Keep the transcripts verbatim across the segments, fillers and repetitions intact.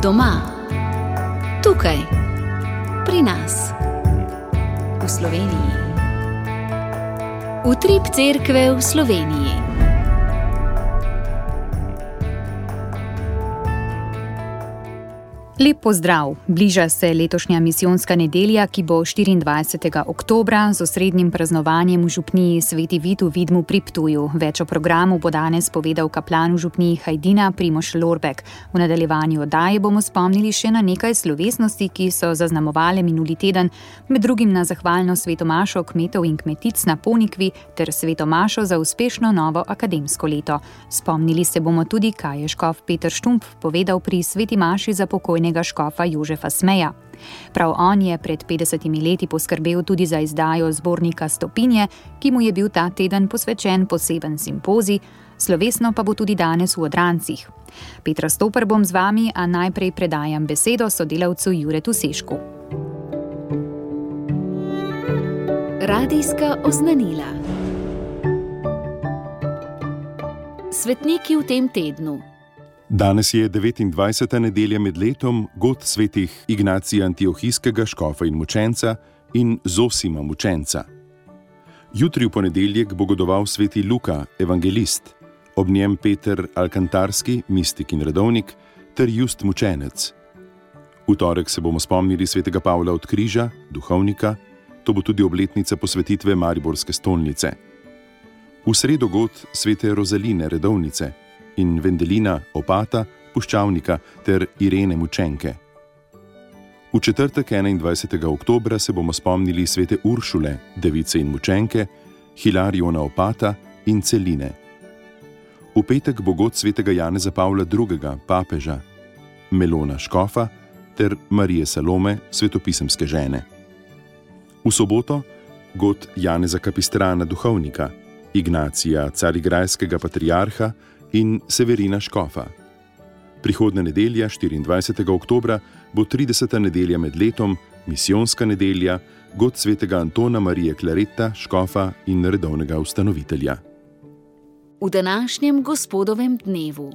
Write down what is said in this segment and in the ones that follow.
Doma, tukaj, pri nas, v Sloveniji. Utrip cerkve v Sloveniji. Lep pozdrav! Bliža se letošnja misijonska nedelja, ki bo štiriindvajsetega oktobra z osrednjim praznovanjem v župniji Sveti Vid v Vidmu pri Ptuju. Več o programu bo danes povedal kaplan v župniji Hajdina Primož Lorbek. V nadaljevanju oddaje bomo spomnili še na nekaj slovesnosti, ki so zaznamovale minuli teden, med drugim na zahvalno svetomašo kmetov in kmetic na Ponikvi ter svetomašo za uspešno novo akademsko leto. Spomnili se bomo tudi, kaj je škof Peter Štumpf povedal pri sveti maši za pokojnega škofa Jožefa Smeja. Prav on je pred petdesetimi leti poskrbel tudi za izdajo zbornika Stopinje, ki mu je bil ta teden posvečen poseben simpozij, slovesno pa bo tudi danes v Odrancih. Petra Stoper bom z vami, a najprej predajam besedo sodelavcu Juretu Sešku. Radijska oznanila. Svetniki v tem tednu. Danes je devetindvajseta nedelja med letom, god svetih Ignacija Antiohijskega, škofa in mučenca, in Zosima mučenca. Jutri v ponedeljek bo godoval sveti Luka, evangelist, ob njem Peter Alkantarski, mistik in redovnik, ter Just mučenec. V torek se bomo spomnili svetega Pavla od Križa, duhovnika, to bo tudi obletnica posvetitve Mariborske stolnice. V sredo god svete Rozaline, redovnice, in Vendelina, opata, puščavnika ter Irene mučenke. V četrtek enaindvajsetega oktobra se bomo spomnili svete Uršule, device in mučenke, Hilariona opata in Celine. V petek bo god svetega Janeza Pavla drugega, papeža, Melona škofa ter Marije Salome, svetopisemske žene. V soboto god Janeza Kapistrana, duhovnika, Ignacija carigrajskega patriarha in Severina škofa. Prihodnja nedelja, štiriindvajsetega oktobra, bo trideseta nedelja med letom, misijonska nedelja, god svetega Antona Marije Klareta, škofa in redovnega ustanovitelja. V današnjem gospodovem dnevu.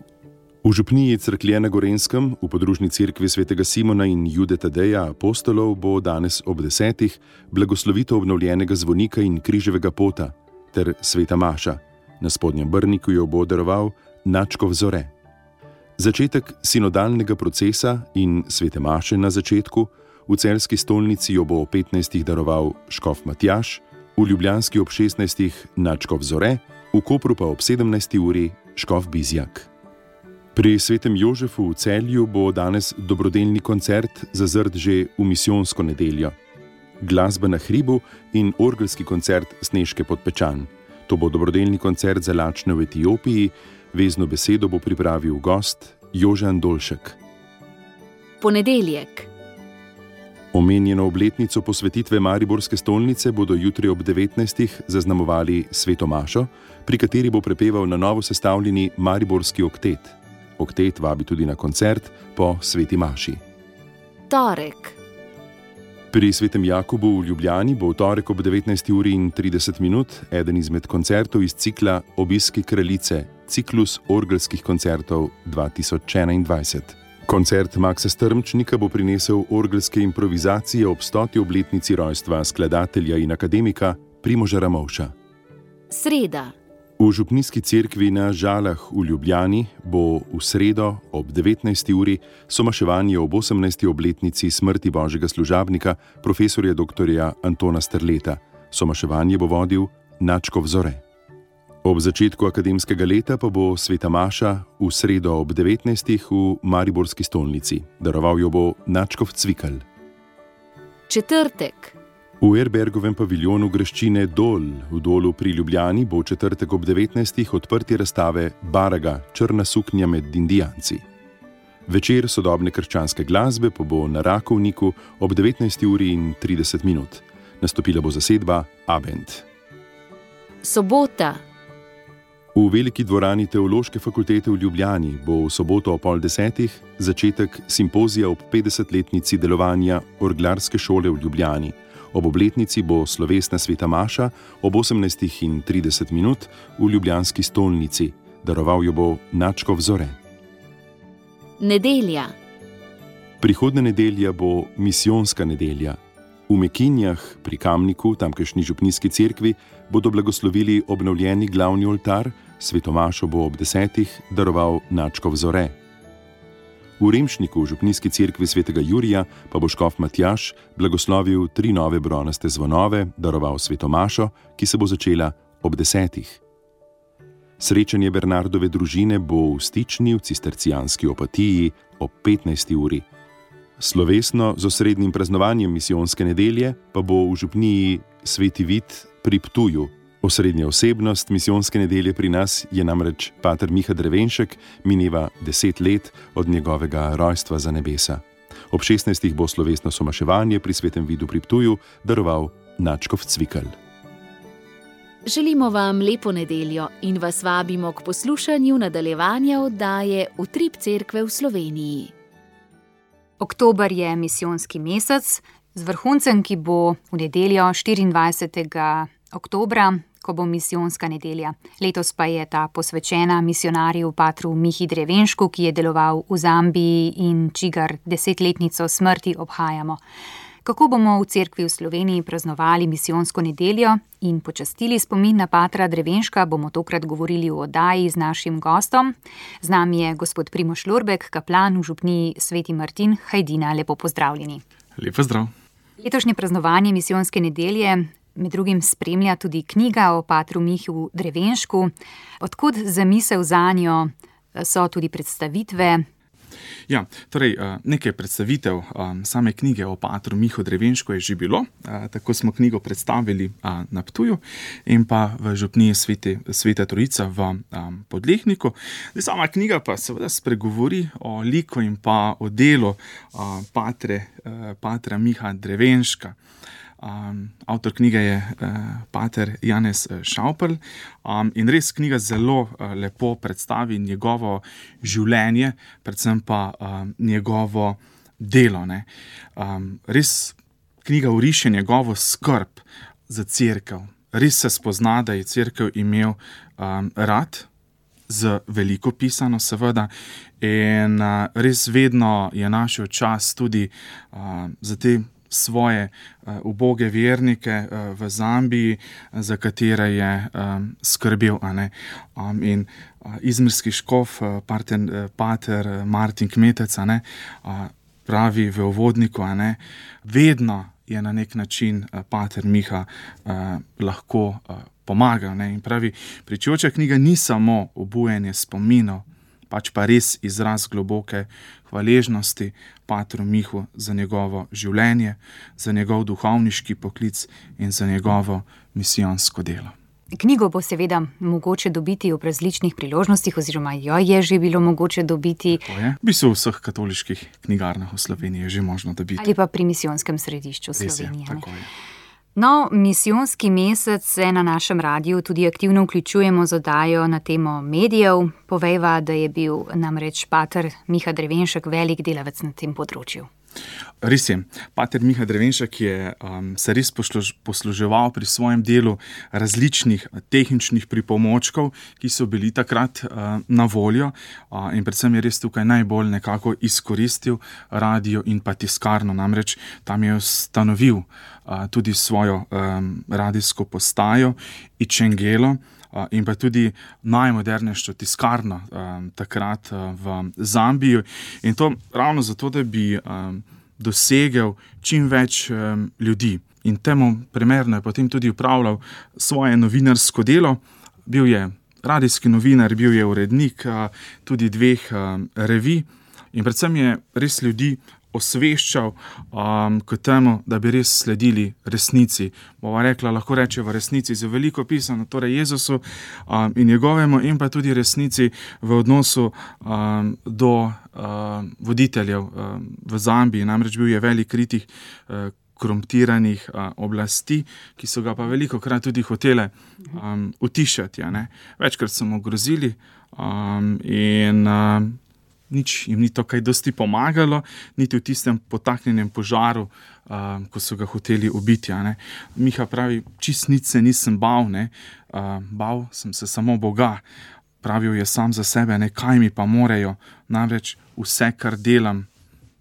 V župniji Cerklje na Gorenskem, v podružni cerkvi svetega Simona in Jude Tadeja apostolov, bo danes ob desetih blagoslovitev obnovljenega zvonika in križevega pota ter sveta maša. Na spodnjem Brniku jo bo daroval Načkov Zore. Začetek sinodalnega procesa in svete maše na začetku, v celjski stolnici jo bo o petnajstih daroval škof Matjaž, v ljubljanski ob šestnajstih Načkov Zore, v Kopru pa ob sedemnajsti uri škof Bizjak. Pri svetem Jožefu v Celju bo danes dobrodelni koncert zazrt že v misijonsko nedeljo. Glasba na hribu in orgelski koncert Snežke pod Pečan. To bo dobrodelni koncert za lačne v Etiopiji, vezno besedo bo pripravil gost Jožan Dolšek. Ponedeljek. Omenjeno obletnico posvetitve Mariborske stolnice bodo jutri ob devetnajstih zaznamovali sveto mašo, pri kateri bo prepeval na novo sestavljeni Mariborski oktet. Oktet vabi tudi na koncert po sveti maši. Torek. Pri svetem Jakobu v Ljubljani bo v torek ob devetnajsti uri in trideset minut eden izmed koncertov iz cikla Obiski kraljice, ciklus orgelskih koncertov dva tisoč enaindvajset. Koncert Maksa Strmčnika bo prinesel orgelske improvizacije ob stoti obletnici rojstva skladatelja in akademika Primoža Ramovša. Sreda. V župnijski cerkvi na Žalah v Ljubljani bo v sredo ob devetnajsti uri somaševanje ob osemnajsti obletnici smrti božjega služabnika, profesorja doktorja Antona Strleta. Somaševanje bo vodil Načkov Zore. Ob začetku akademskega leta pa bo sveta maša v sredo ob devetnajstih v Mariborski stolnici. Daroval jo bo Načkov Cvikl. Četrtek. V Erbergovem paviljonu graščine Dol v Dolu pri Ljubljani bo v četrtek ob devetnajstih odprtje razstave Baraga, črna suknja med Indijanci. Večer sodobne krščanske glasbe pa bo na Rakovniku ob devetnajsti uri in trideset minut. Nastopila bo zasedba Abend. Sobota. V veliki dvorani Teološke fakultete v Ljubljani bo v soboto ob pol desetih začetek simpozija ob petdesetletnici delovanja Orglarske šole v Ljubljani. Ob obletnici bo slovesna sveta maša ob osemnajstih in trideset minut v ljubljanski stolnici. Daroval jo bo Načkov Zore. Nedelja. Prihodnja nedelja bo misijonska nedelja. V Mekinjah pri Kamniku, tamkajšnji župnijski cerkvi, bodo blagoslovili obnovljeni glavni oltar, svetomašo bo ob desetih daroval nadškof Zore. V Remšniku, v župnijski cerkvi svetega Jurija, pa bo škof Matjaž blagoslovil tri nove bronaste zvonove, daroval svetomašo, ki se bo začela ob desetih. Srečanje Bernardove družine bo v Stični v cistercijanski Opatiji ob petnajsti uri. Slovesno z osrednjim praznovanjem misijonske nedelje pa bo v župniji Sveti Vid pri Ptuju. Osrednja osebnost misijonske nedelje pri nas je namreč pater Miha Drevenšek, mineva deset let od njegovega rojstva za nebesa. Ob šestnajstih bo slovesno somaševanje pri Svetem Vidu pri Ptuju daroval nadškof Cvikl. Želimo vam lepo nedeljo in vas vabimo k poslušanju nadaljevanja oddaje Utrip cerkve v Sloveniji. Oktober je misijonski mesec z vrhuncem, ki bo v nedeljo štiriindvajsetega oktobra, ko bo misijonska nedelja. Letos pa je ta posvečena misionarju patru Mihi Drevenšku, ki je deloval v Zambiji in čigar desetletnico smrti obhajamo. Kako bomo v cerkvi v Sloveniji praznovali misijonsko nedeljo in počastili spomin na patra Drevenška, bomo tokrat govorili v oddaji z našim gostom. Z nami je gospod Primož Lorbek, kaplan v župniji Sveti Martin Hajdina. Lepo pozdravljeni. Lep pozdrav. Letošnje praznovanje misijonske nedelje med drugim spremlja tudi knjiga o patru Mihu Drevenšku. Odkud zamisel zanjo, so tudi predstavitve? Ja, torej nekaj predstavitev same knjige o patru Mihu Drevenšku je že bilo. Tako smo knjigo predstavili na Ptuju in pa v župniji Svete, Sveta Trojica v Podlehniku. Sama knjiga pa seveda spregovori o liku in pa o delu patre, patra Miha Drevenška. Um, avtor knjige je uh, pater Janez Šauperl um, in res knjiga zelo uh, lepo predstavi njegovo življenje, predvsem pa um, njegovo delo. Ne. Um, res knjiga oriše njegovo skrb za cerkev. Res se spozna, da je cerkev imel um, rad, z veliko pisano seveda, in uh, res vedno je našel čas tudi uh, za te svoje uh, uboge vernike uh, v Zambiji, za katere je um, skrbel. A ne? Um, in uh, izmirski škof, uh, pater, uh, pater Martin Kmetec, a ne? Uh, pravi v uvodniku, a ne? Vedno je na nek način uh, pater Miha uh, lahko uh, pomagal. Ne? In pravi, pričujoča knjiga ni samo obujanje spominov, pač pa res izraz globoke hvaležnosti patru Mihu za njegovo življenje, za njegov duhovniški poklic in za njegovo misijonsko delo. Knjigo bo seveda mogoče dobiti ob različnih priložnostih, oziroma jo je že bilo mogoče dobiti. To je. V bistvu v vseh katoliških knjigarnah v Sloveniji je že možno dobiti. Ali pa pri misijonskem središču Slovenije. Res je, tako je. No, misijonski mesec se na našem radiju tudi aktivno vključujemo z oddajo na temo medijev. Povejva, da je bil namreč pater Miha Drevenšek velik delavec na tem področju. Res je. Pater Miha Drevenšek je um, se res posluž, posluževal pri svojem delu različnih tehničnih pripomočkov, ki so bili takrat uh, na voljo uh, in predvsem je res tukaj najbolj nekako izkoristil radio in pa tiskarno. Namreč tam je ustanovil uh, tudi svojo um, radijsko postajo Ičengelo uh, in pa tudi najmodernejšo tiskarno um, takrat uh, v Zambiji. In to ravno zato, da bi um, dosegel čim več um, ljudi. In temu primerno je potem tudi upravljal svoje novinarsko delo. Bil je radijski novinar, bil je urednik uh, tudi dveh uh, revij in predvsem je res ljudi osveščal um, k temu, da bi res sledili resnici. Bova rekla, lahko reče v resnici z veliko pisano, torej Jezusu um, in njegovemu, in pa tudi resnici v odnosu um, do um, voditeljev um, v Zambiji. Namreč bil je velik kritik uh, korumpiranih uh, oblasti, ki so ga pa veliko krat tudi hotele um, utišati. Ja, ne? Večkrat so mu grozili um, in um, nič jim ni to kaj dosti pomagalo, niti v tistem potaknjenem požaru, uh, ko so ga hoteli ubiti. Ja, ne. Miha pravi, čist nič se nisem bal, ne. Uh, bal sem se samo Boga. Pravil je sam za sebe, ne, kaj mi pa morejo, namreč vse, kar delam,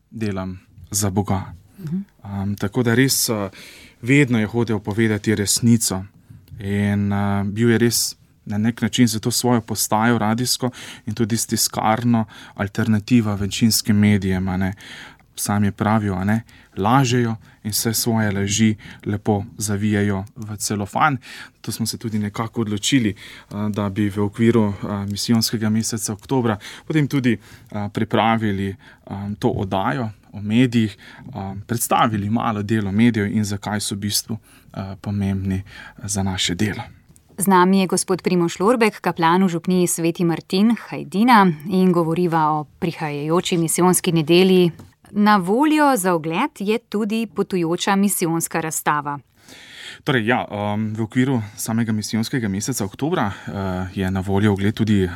delam za Boga. Um, tako da res uh, vedno je hodil povedati resnico in uh, bil je res na nek način za to svojo postajo radijsko in tudi stiskarno alternativa večinskim medijem, a ne. Sam je pravil, a ne, lažejo in vse svoje laži lepo zavijajo v celofan. To smo se tudi nekako odločili, da bi v okviru misijonskega meseca oktobra potem tudi pripravili to oddajo o medijih, predstavili malo delo medijev in zakaj so v bistvu pomembni za naše delo. Z nami je gospod Primož Lorbek, kaplan v župniji Sveti Martin, Hajdina, in govoriva o prihajajoči misijonski nedelji. Na voljo za ogled je tudi potujoča misijonska razstava. Torej, ja, um, v okviru samega misijonskega meseca oktobra uh, je na voljo ogled tudi uh,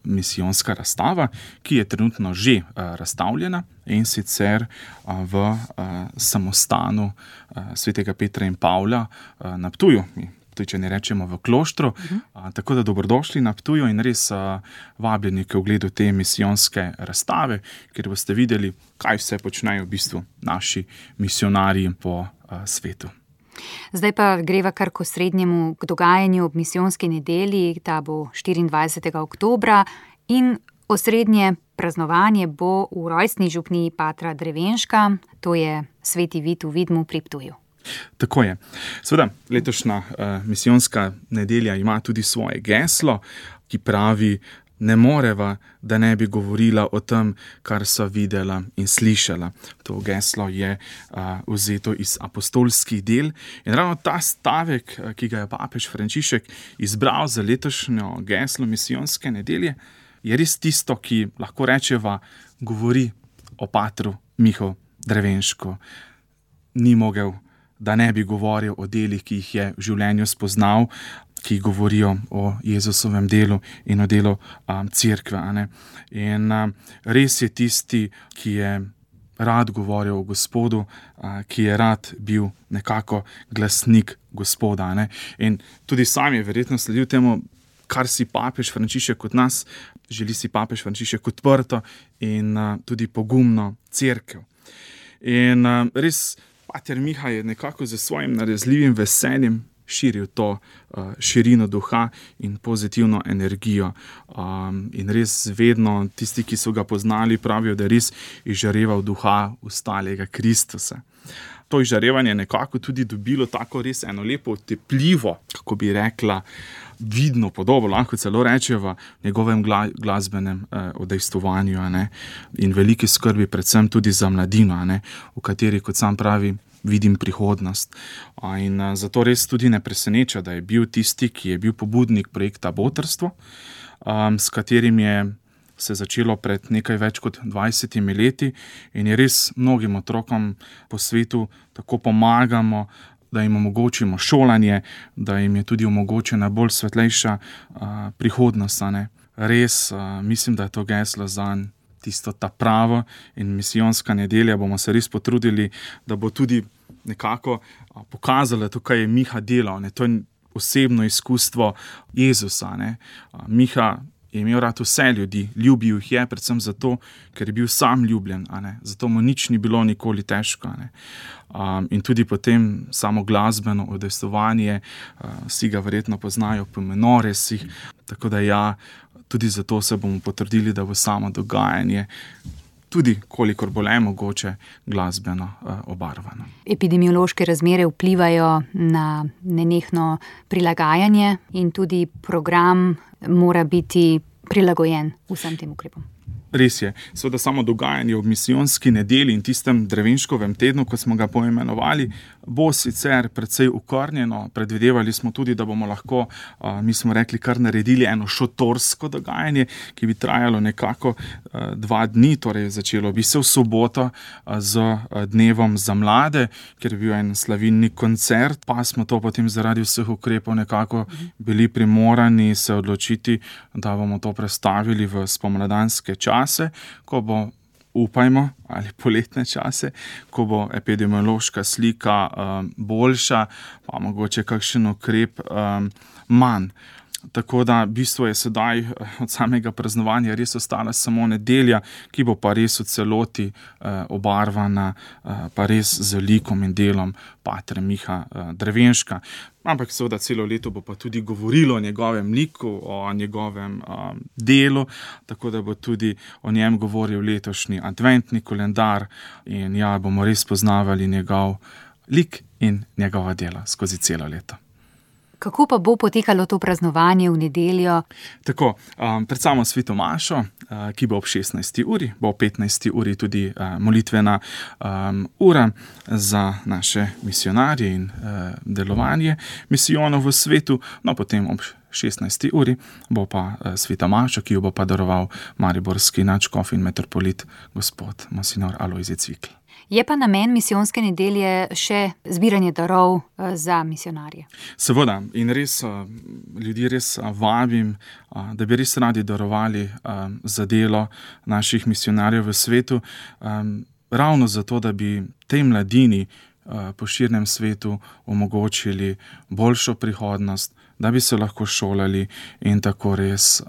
misijonska razstava, ki je trenutno že uh, razstavljena in sicer uh, v uh, samostanu uh, svetega Petra in Pavla uh, na Ptuju. Tudi, če ne rečemo v Kloštru, uh-huh. a, tako da dobrodošli na Ptuju in res a, vabljeni k ogledu te misijonske razstave, kjer boste videli, kaj vse počnejo v bistvu naši misijonarji po a, svetu. Zdaj pa greva kar k osrednjemu k dogajanju ob misijonski nedelji, ta bo štiriindvajsetega oktobra, in osrednje praznovanje bo v rojstni župniji Patra Drevenška, to je Sveti Vid v Vidmu pri Ptuju. Tako je. Seveda, letošnja uh, misijonska nedelja ima tudi svoje geslo, ki pravi: ne moreva, da ne bi govorila o tem, kar so videla in slišala. To geslo je uh, vzeto iz apostolskih del in ravno ta stavek, ki ga je papež Frančišek izbral za letošnjo geslo misijonske nedelje, je res tisto, ki lahko rečeva, govori o patru Mihu Drevenšku. Ni mogel, da ne bi govoril o delih, ki jih je v življenju spoznal, ki govorijo o Jezusovem delu in o delu um, cerkve. In um, res je tisti, ki je rad govoril o Gospodu, uh, ki je rad bil nekako glasnik Gospoda. Ne? In tudi sam je verjetno sledil temu, kar si papež Frančišek kot nas, želi si papež Frančišek odprto in uh, tudi pogumno cerkev. In uh, res pater Miha je nekako z svojim narezljivim veseljem širil to uh, širino duha in pozitivno energijo. Um, in res vedno tisti, ki so ga poznali, pravijo, da je res izžareval duha ustalega Kristusa. To izžarevanje nekako tudi dobilo tako res eno lepo tepljivo, kako bi rekla, vidno podobo, lahko celo rečeva, v njegovem gla, glasbenem eh, odejstvovanju, ne, in veliki skrbi predvsem tudi za mladino, ne, v kateri, kot sam pravi, vidim prihodnost. In a, zato res tudi ne preseneča, da je bil tisti, ki je bil pobudnik projekta Botrstvo, um, s katerim je se začelo pred nekaj več kot dvajsetimi leti in je res mnogim otrokom po svetu tako pomagamo, da jim omogočimo šolanje, da jim je tudi omogočena bolj svetlejša uh, prihodnost. Ne? Res uh, mislim, da je to geslo zanj tisto ta pravo in misijonska nedelja bomo se res potrudili, da bo tudi nekako uh, pokazala to, kaj je Miha delal. Ne? To je osebno izkustvo Jezusa. Ne? Uh, Miha je imel rad vse ljudi, ljubil jih je predvsem zato, ker je bil sam ljubljen, a ne? Zato mu nič ni bilo nikoli težko. A ne? Um, in tudi potem samo glasbeno odestovanje, uh, vsi ga verjetno poznajo po menoresih, tako da ja, tudi zato se bomo potrudili, da bo samo dogajanje tudi, kolikor bo le mogoče, glasbeno uh, obarvano. Epidemiološke razmere vplivajo na nenehno prilagajanje in tudi program mora biti prilagojen vsem tem ukrepom. Res je. Seveda samo dogajanje ob misijonski nedelji in tistem Drevenškovem tednu, ko smo ga poimenovali, bo sicer precej ukornjeno. Predvidevali smo tudi, da bomo lahko, mi smo rekli, kar naredili eno šotorsko dogajanje, ki bi trajalo nekako dva dni, torej začelo bi se v soboto z dnevom za mlade, ker bi bil en slavilni koncert, pa smo to potem zaradi vseh ukrepov nekako bili primorani se odločiti, da bomo to prestavili v spomladanske čase, ko bo, upajmo, ali poletne čase, ko bo epidemiološka slika um, boljša, pa mogoče kakšen ukrep um, manj. tako da v bistvu je sedaj od samega praznovanja res ostala samo nedelja, ki bo pa res v celoti uh, obarvana, uh, pa res z likom in delom patra Miha uh, Drevenška. Ampak seveda celo leto bo pa tudi govorilo o njegovem liku, o njegovem um, delu, tako da bo tudi o njem govoril letošnji adventni kalendar in ja, bomo res poznavali njegov lik in njegova dela skozi celo leto. Kako pa bo potekalo to praznovanje v nedeljo? Tako, um, pred samo sveto mašo, uh, ki bo ob šestnajsti uri, bo ob petnajsti uri tudi uh, molitvena um, ura za naše misionarje in uh, delovanje misijonov v svetu, no potem ob šestnajsti uri bo pa uh, sveta maša, ki jo bo pa daroval mariborski nadškof in metropolit gospod monsignor Alojzij Cvikl. Je pa namen misijonske nedelje še zbiranje darov za misionarje. Seveda, in res ljudi res vabim, da bi res radi darovali za delo naših misionarjev v svetu, ravno zato, da bi tej mladini po širnem svetu omogočili boljšo prihodnost, da bi se lahko šolali in tako res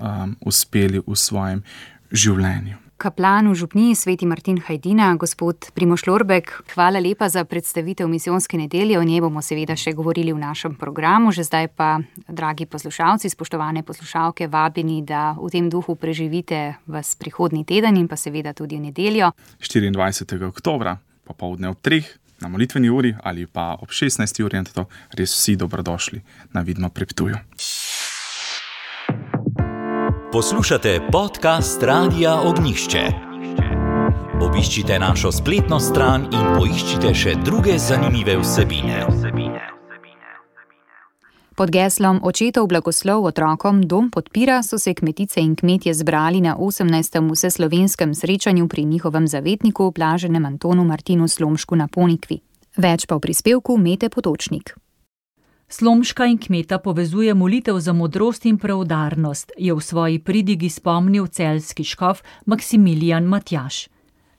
uspeli v svojem življenju. Kaplan v župniji Sveti Martin Hajdina, gospod Primož Lorbek, hvala lepa za predstavitev misijonske nedelje. O njej bomo seveda še govorili v našem programu. Že zdaj pa, dragi poslušalci, spoštovane poslušalke, vabeni, da v tem duhu preživite vas prihodnji teden in pa seveda tudi v nedeljo. štiriindvajsetega oktobra, popoldne ob treh, na molitveni uri ali pa ob šestnajsti uri, in to res vsi dobrodošli na Vidmo pri Ptuju. Poslušate podcast Radia Ognjišče. Obiščite našo spletno stran in poiščite še druge zanimive vsebine. Pod geslom Očetov blagoslov otrokom dom podpira so se kmetice in kmetje zbrali na osemnajstem vseslovenskem srečanju pri njihovem zavetniku, blaženem Antonu Martinu Slomšku na Ponikvi. Več pa v prispevku Mete Potočnik. Slomška in kmeta povezuje molitev za modrost in preudarnost, je v svoji pridigi spomnil celjski škof Maksimilijan Matjaž.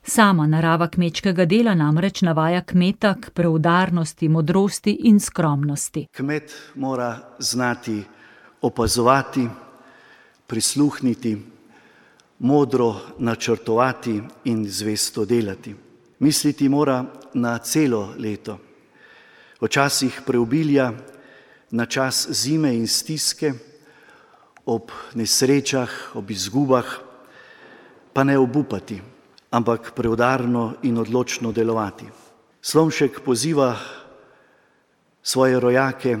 Sama narava kmečkega dela namreč navaja kmeta k preudarnosti, modrosti in skromnosti. Kmet mora znati opazovati, prisluhniti, modro načrtovati in zvesto delati. Misliti mora na celo leto. V časih preobilja, na čas zime in stiske, ob nesrečah, ob izgubah, pa ne obupati, ampak preudarno in odločno delovati. Slomšek poziva svoje rojake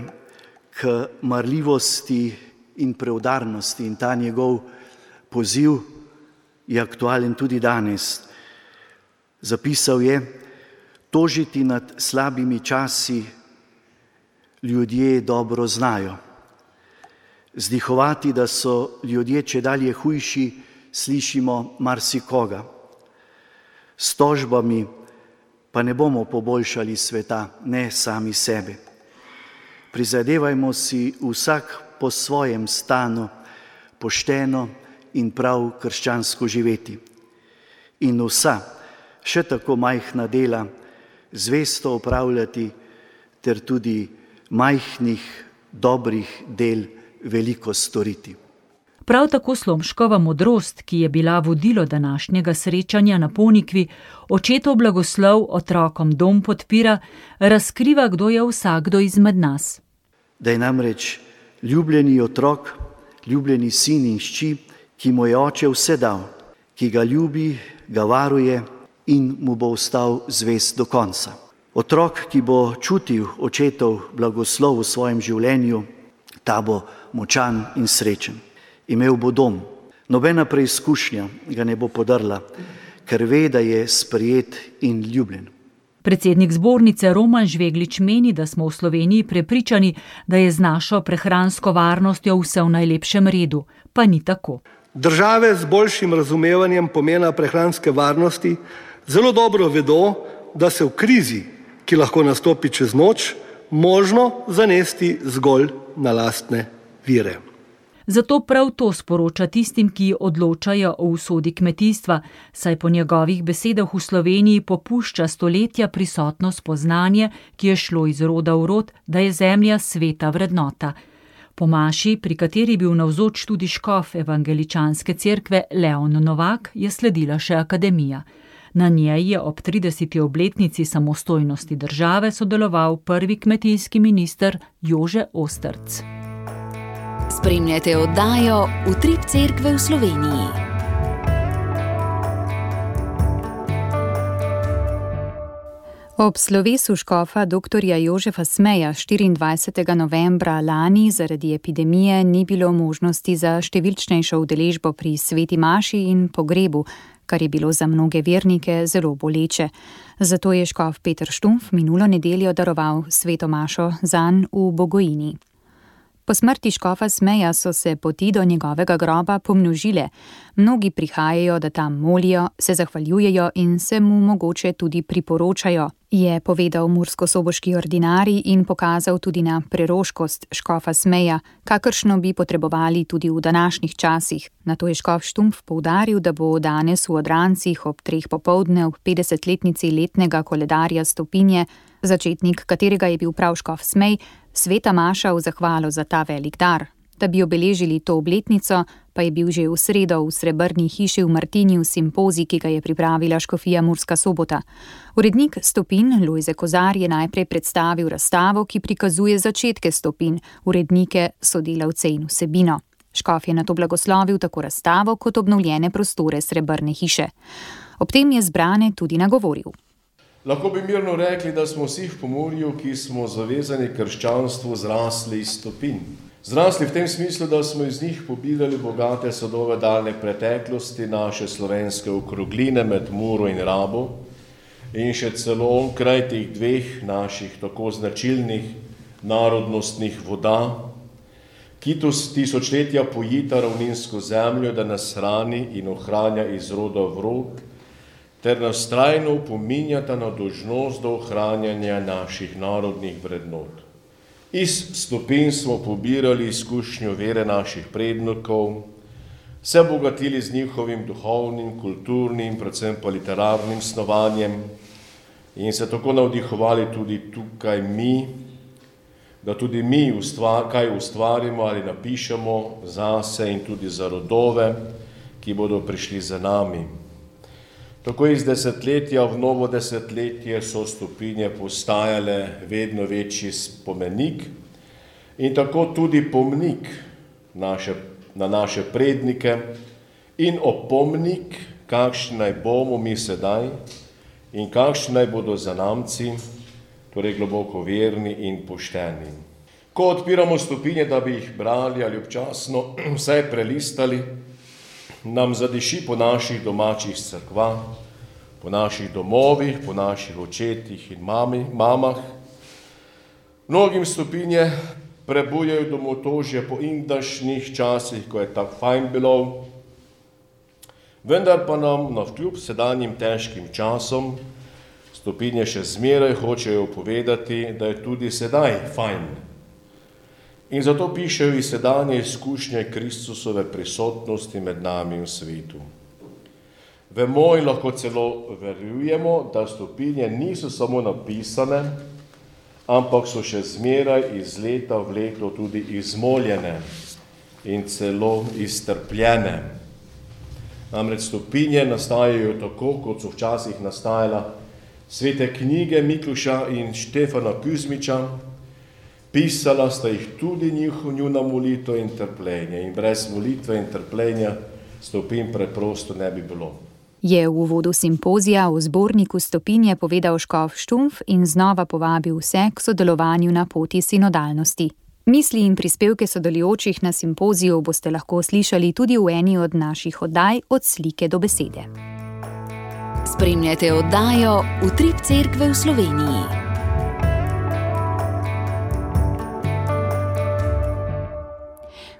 k marljivosti in preudarnosti in ta njegov poziv je aktualen tudi danes. Zapisal je: tožiti nad slabimi časi ljudje dobro znajo. Zdihovati, da so ljudje čedalje hujši, slišimo marsikoga. S tožbami pa ne bomo poboljšali sveta, ne sami sebe. Prizadevajmo si vsak po svojem stanu pošteno in prav krščansko živeti. In vsa, še tako majhna dela, zvesto opravljati ter tudi majhnih, dobrih del veliko storiti. Prav tako Slomškova modrost, ki je bila vodilo današnjega srečanja na Ponikvi, očetov blagoslov otrokom dom podpira, razkriva, kdo je vsakdo izmed nas. Da je namreč ljubljeni otrok, ljubljeni sin in hči, ki mu je oče vse dal, ki ga ljubi, ga varuje in mu bo ostal zvest do konca. Otrok, ki bo čutil očetov blagoslov v svojem življenju, ta bo močan in srečen. Imel bo dom. Nobena preizkušnja ga ne bo podrla, ker ve, da je sprejet in ljubljen. Predsednik zbornice Roman Žveglič meni, da smo v Sloveniji prepričani, da je z našo prehransko varnostjo vse v najlepšem redu, pa ni tako. Države z boljšim razumevanjem pomena prehranske varnosti zelo dobro vedo, da se v krizi, ki lahko nastopi čez noč, možno zanesti zgolj na lastne vire. Zato prav to sporoča tistim, ki odločajo o usodi kmetijstva, saj po njegovih besedah v Sloveniji popušča stoletja prisotno spoznanje, ki je šlo iz roda v rod, da je zemlja sveta vrednota. Po maši, pri kateri je bil navzoč tudi škof evangeličanske cerkve Leon Novak, je sledila še akademija. Na njej je ob trideseti obletnici samostojnosti države sodeloval prvi kmetijski minister Jože Osterc. Spremljate oddajo Utrip cerkve v Sloveniji. Ob slovesu škofa doktorja Jožefa Smeja štiriindvajsetega novembra lani zaradi epidemije ni bilo možnosti za številčnejšo udeležbo pri sveti maši in pogrebu, kar je bilo za mnoge vernike zelo boleče. Zato je škof Peter Štumpf minulo nedeljo daroval sveto mašo zanj v Bogojini. Po smrti škofa Smeja so se poti do njegovega groba pomnožile. Mnogi prihajajo, da tam molijo, se zahvaljujejo in se mu mogoče tudi priporočajo, je povedal murskosoboški ordinarij in pokazal tudi na preroškost škofa Smeja, kakršno bi potrebovali tudi v današnjih časih. Nato je škof Štumpf poudaril, da bo danes v Odrancih ob treh popoldne ob petdesetletnici letnega koledarja Stopinje, začetnik katerega je bil prav škof Smej, sveta maša v zahvalo za ta velik dar. Da bi obeležili to obletnico, pa je bil že v sredo v Srebrni hiši v Martinju simpozij, ki ga je pripravila škofija Murska Sobota. Urednik Stopin Lojze Kozar je najprej predstavil razstavo, ki prikazuje začetke Stopin, urednike, sodelavce in vsebino. Škof je nato blagoslovil tako razstavo kot obnovljene prostore Srebrne hiše. Ob tem je zbrane tudi nagovoril. Lahko bi mirno rekli, da smo vsi v Pomurju, ki smo zavezani krščanstvu, zrasli iz Stopin. Zrasli v tem smislu, da smo iz njih pobirali bogate sadove daljne preteklosti, naše slovenske okrogline med Muro in Rabo in še celo onkraj teh dveh naših tako značilnih narodnostnih voda, ki tisočletja pojita ravninsko zemljo, da nas hrani in ohranja iz roda v rod, ter nas trajno opominjata na dolžnost do ohranjanja naših narodnih vrednot. Iz Stopin smo pobirali izkušnjo vere naših prednikov, se bogatili z njihovim duhovnim, kulturnim, predvsem pa literarnim snovanjem in se tako navdihovali tudi tukaj mi, da tudi mi ustvar, kaj ustvarimo ali napišemo zase in tudi za rodove, ki bodo prišli za nami. Tako iz desetletja v novo desetletje so Stopinje postajale vedno večji spomenik in tako tudi pomnik naše, na naše prednike in opomnik, kakšni naj bomo mi sedaj in kakšni naj bodo zanamci, torej globoko verni in pošteni. Ko odpiramo Stopinje, da bi jih brali ali občasno vsaj prelistali, nam zadiši po naših domačih cerkvah, po naših domovih, po naših očetih in mami, mamah. Mnogim Stopinje prebujajo domotožje po indašnjih časih, ko je tako fajn bilo, vendar pa nam navkljub sedanjim težkim časom Stopinje še zmeraj hočejo povedati, da je tudi sedaj fajn. In zato pišejo iz sedanje izkušnje Kristusove prisotnosti med nami v svetu. Vemo in lahko celo verjujemo, da Stopinje niso samo napisane, ampak so še zmeraj iz leta v leto tudi izmoljene in celo iztrpljene. Namreč Stopinje nastajajo tako, kot so včasih nastajala svete knjige Mikluša in Štefana Kuzmiča, pisala sta jih tudi njuna molitev in trpljenje in brez molitve in trpljenja Stopin preprosto ne bi bilo. Je v uvodu simpozija o zborniku Stopinje povedal škof Štumpf in znova povabil vse k sodelovanju na poti sinodalnosti. Misli in prispevke sodelujočih na simpoziju boste lahko slišali tudi v eni od naših oddaj Od slike do besede. Spremljate oddajo Utrip cerkve v Sloveniji.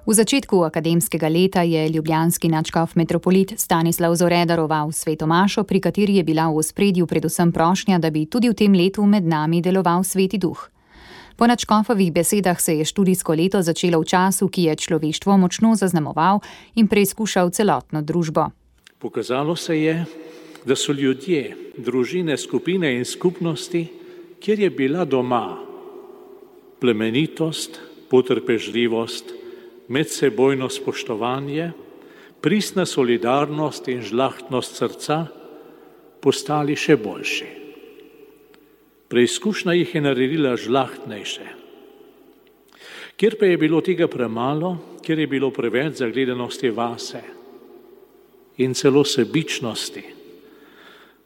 V začetku akademskega leta je ljubljanski nadškof metropolit Stanislav Zore daroval sveto mašo, pri kateri je bila v ospredju predvsem prošnja, da bi tudi v tem letu med nami deloval Sveti Duh. Po nadškofovih besedah se je študijsko leto začelo v času, ki je človeštvo močno zaznamoval in preizkušal celotno družbo. Pokazalo se je, da so ljudje, družine, skupine in skupnosti, kjer je bila doma plemenitost, potrpežljivost, medsebojno spoštovanje, pristna solidarnost in žlahtnost srca postali še boljši. Preizkušnja jih je naredila žlahtnejše. Kjer pa je bilo tega premalo, kjer je bilo preveč zagledanosti vase in celo sebičnosti,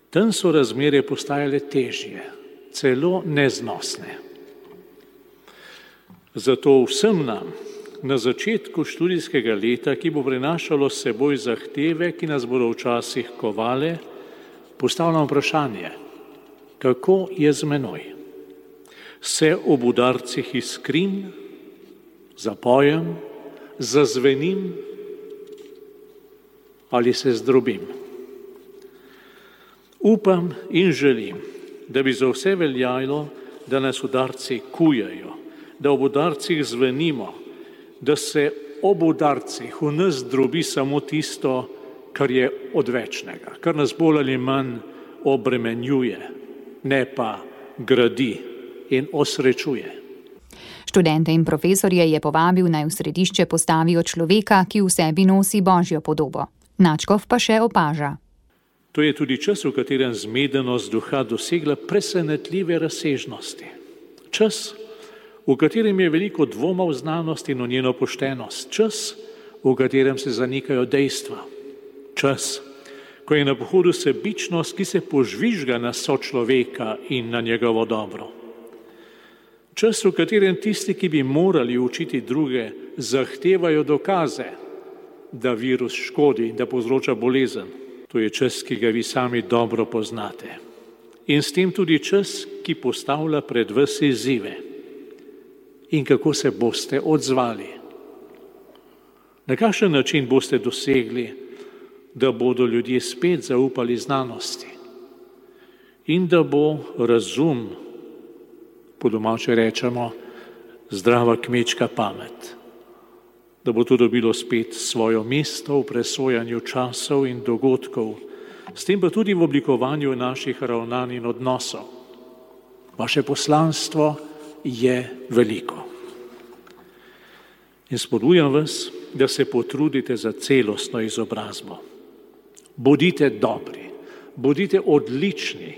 tam so razmere postajale težje, celo neznosne. Zato vsem nam na začetku študijskega leta, ki bo prinašalo s seboj zahteve, ki nas bodo včasih kovale, postavljam vprašanje, kako je z menoj? Se ob udarcih iskrim, zapojem, zazvenim ali se zdrobim? Upam in želim, da bi za vse veljalo, da nas udarci kujajo, da ob udarcih zvenimo, da se ob udarcih v nas zdrobi samo tisto, kar je odvečnega, kar nas bolj ali manj obremenjuje, ne pa gradi in osrečuje. Študente in profesorje je povabil, naj v središče postavijo človeka, ki v sebi nosi božjo podobo. Načkov pa še opaža. To je tudi čas, v katerem zmedenost duha dosegla presenetljive razsežnosti. Čas, v katerem je veliko dvoma v znanost in v njeno poštenost. Čas, v katerem se zanikajo dejstva. Čas, ko je na pohodu sebičnost, ki se požvižga na sočloveka in na njegovo dobro. Čas, v katerem tisti, ki bi morali učiti druge, zahtevajo dokaze, da virus škodi in da povzroča bolezen. To je čas, ki ga vi sami dobro poznate. In s tem tudi čas, ki postavlja pred vas izzive. In kako se boste odzvali? Na kakšen način boste dosegli, da bodo ljudje spet zaupali znanosti in da bo razum, po domače rečemo, zdrava kmečka pamet, da bo to dobilo spet svoje mesto v presojanju časov in dogodkov, s tem pa tudi v oblikovanju naših ravnanj in odnosov. Vaše poslanstvo je veliko. In spodbujam vas, da se potrudite za celostno izobrazbo. Bodite dobri, bodite odlični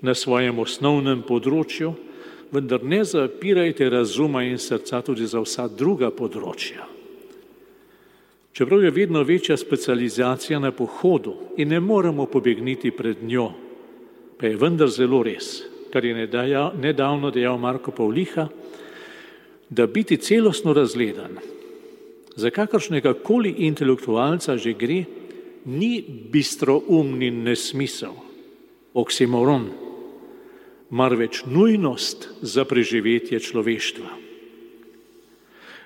na svojem osnovnem področju, vendar ne zapirajte razuma in srca tudi za vsa druga področja. Čeprav je vedno večja specializacija na pohodu in ne moremo pobegniti pred njo, pa je vendar zelo res, kar je nedavno dejal Marko Pavliha, da biti celostno razgledan, za kakršnega koli intelektualca že gre, ni bistroumni nesmisel, oksimoron, marveč nujnost za preživetje človeštva.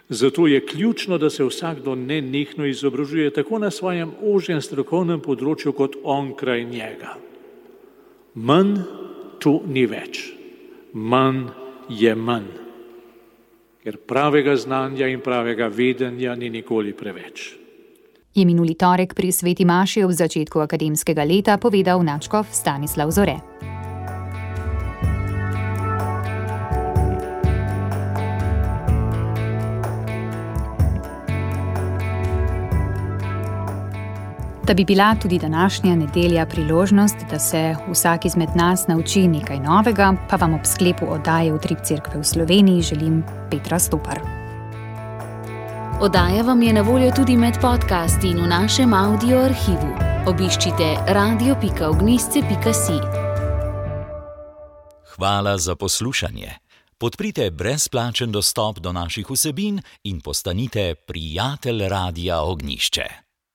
Zato je ključno, da se vsakdo nenehno izobražuje tako na svojem ožjem strokovnem področju kot onkraj njega. Manj tu ni več, manj je manj, ker pravega znanja in pravega vedenja ni nikoli preveč. Je minuli torek pri sveti maši ob začetku akademskega leta povedal nadškof Stanislav Zore. Da bi bila tudi današnja nedelja priložnost, da se vsak izmed nas nauči nekaj novega, pa vam ob sklepu oddaje Utrip Cerkve v Sloveniji želim Petra Stopar. Oddaja vam je na voljo tudi med podcasti in v našem audio arhivu. Obiščite radio pika ognjišče pika si. Hvala za poslušanje. Podprite brezplačen dostop do naših vsebin in postanite prijatelj Radia Ognjišče.